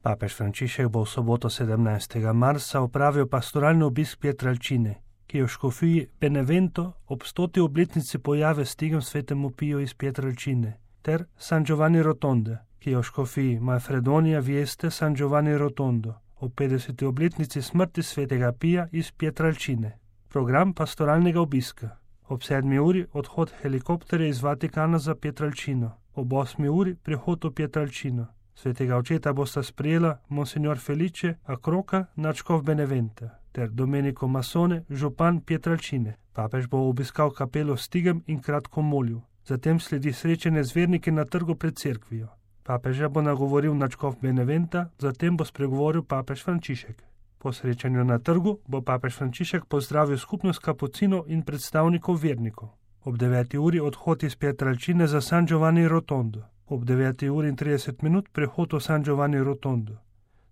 Papež Frančišek bo v soboto 17. marca opravil pastoralni obisk Pietrelcine, ki je v škofiji Benevento ob 100. obletnici pojave stigem svetemu Piju iz Pietrelcine, ter San Giovanni Rotonde, ki je v škofiji Manfredonia Vieste San Giovanni Rotondo ob 50. obletnici smrti svetega Pija iz Pietrelcine. Program pastoralnega obiska: ob 7. uri odhod helikopterja iz Vatikana za Pietrelcino, ob 8. uri prihod v Pietrelcino. Svetega očeta bosta sprejela monsignor Felice Acroca, nadškof Beneventa, ter Domenico Massone, župan Pietrelcine. Papež bo obiskal kapelo Stigem in kratko molil. Zatem sledi srečanje z verniki na trgu pred cerkvijo. Papeža bo nagovoril nadškof Beneventa, zatem bo spregovoril papež Frančišek. Po srečanju na trgu bo papež Frančišek pozdravil skupnost kapucinov in predstavnikov vernikov. Ob 9. uri odhod iz Pietrelcine za San Giovanni Rotondo. Ob 9. uri in 30 minut prehod v San Giovanni Rotondo.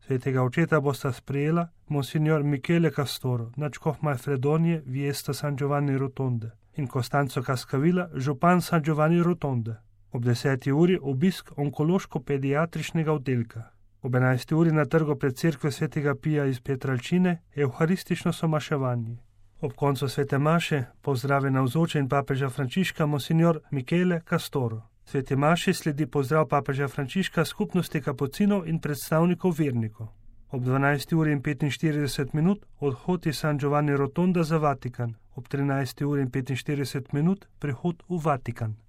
Svetega očeta bosta sprejela monsignor Michele Castoro, nadškof Manfredonije Vieste San Giovanni Rotonde, in Costanzo Cascavilla, župan San Giovanni Rotonde. Ob 10. uri obisk onkološko-pediatričnega oddelka. Ob 11. uri na trgu pred cerkvijo svetega Pija iz Pietrelcine evharistično somaševanje. Ob koncu svete maše pozdravi navzoče in papeža Frančiška monsignor Michele Castoro. Sveti maši sledi pozdrav papeža Frančiška skupnosti kapucinov in predstavnikov vernikov. Ob 12. uri in 45 minut odhod iz San Giovanni Rotonda za Vatikan. Ob 13. uri in 45 minut prihod v Vatikan.